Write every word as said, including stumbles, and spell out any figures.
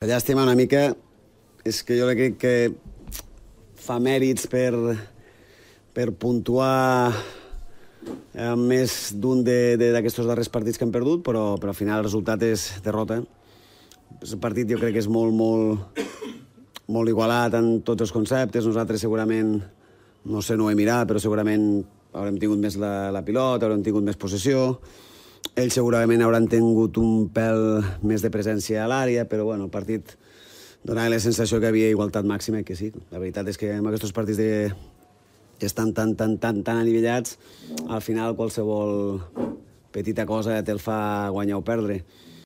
La llàstima una mica és que jo crec que fa mèrits per, per puntuar eh, més d'un d'aquests darrers partits que hem perdut, però, però al final el resultat és derrota. El partit jo crec que és molt, molt, molt igualat en tots els conceptes. Nosaltres segurament, no sé, no ho he mirat, però segurament haurem tingut més la, la pilota, haurem tingut més possessió. Ells segurament hauran tingut un pèl més de presència a l'àrea, però bueno, el partit donava la sensació que hi havia igualtat màxima i que sí. La veritat és que en aquests partits de... que estan tan, tan, tan, tan anivellats, al final qualsevol petita cosa te el fa guanyar o perdre.